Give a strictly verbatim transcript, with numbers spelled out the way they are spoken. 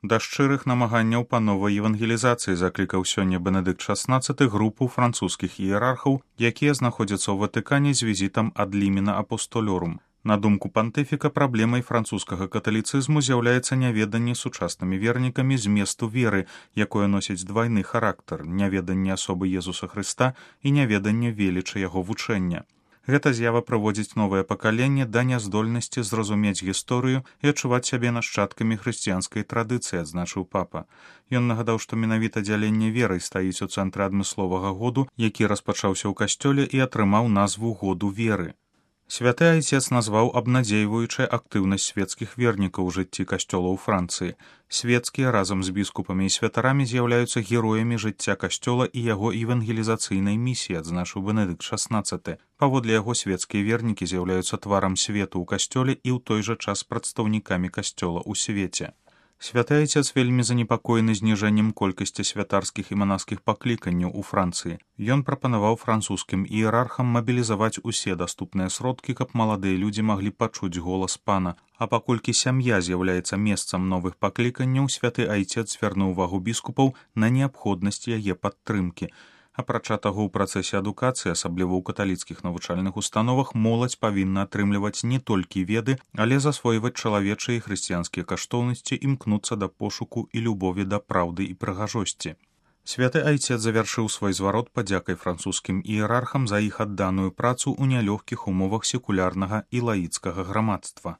Да шчырых намаганняў па новай евангелізацыі заклікаў сёння Бенедыкт шаснаццаты групу французскіх іерархаў, якія знаходзяцца ў Ватыкане з візітам ад лімена апостолёрум. На думку пантыфіка, праблемай французскага каталіцызму з'яўляецца няведанне сучаснымі вернікамі зместу веры, якое носіць двайны характар, няведанне асобы Езуса Хрыста і няведанне велічы яго вучэння. Гэта з'ява прыводзіць новае пакаленне да няздольнасці зразумець гісторыю і адчуваць сябе нашчадкамі хрысціянскай традыцыі, адзначыў папа. Ён нагадаў, што менавіта дзяленне веры стаіць у цэнтры адмысловага году, які распачаўся ў касцёле і атрымаў назву году веры. Святы айцец назваў абнадзейваючай актыўнасць свецкіх вернікаў у жыцці касцёла ў Францыі. Свецкія разам з біскупамі і святарамі з'яўляюцца героямі жыцця касцёла і яго евангелізацыйнай місіі, адзначыў Бенедыкт шаснаццаты. Паводле яго свецкія вернікі з'яўляюцца тварам свету ў касцёле і ў той жа час прадстаўнікамі касцёла ў свеце. Святы айцец вельмі занепакоены зніжэннем колькасці святарскіх і манаскіх пакліканняў у Францыі. Ён прапанаваў французскім іерархам мабілізаваць усе даступныя сродкі, каб маладыя людзі маглі пачуць голас пана. А паколькі сям'я з'яўляецца месцам новых пакліканняў, святы айцец звярнуў увагу біскупаў на неабходнасць яе падтрымкі. Апрача таго, у працэсе адукацыі, асабліва ў каталіцкіх навучальных установах, моладзь павінна атрымліваць не толькі веды, але засвойваць чалавечыя і хрысціянскія каштоўнасці, імкнуцца да пошуку і любові да праўды і прыгажосці. Святы айцец завяршыў свой зварот падзякай французскім іерархам за іх адданую працу ў нялёгкіх умовах секулярнага і лаіцкага грамадства.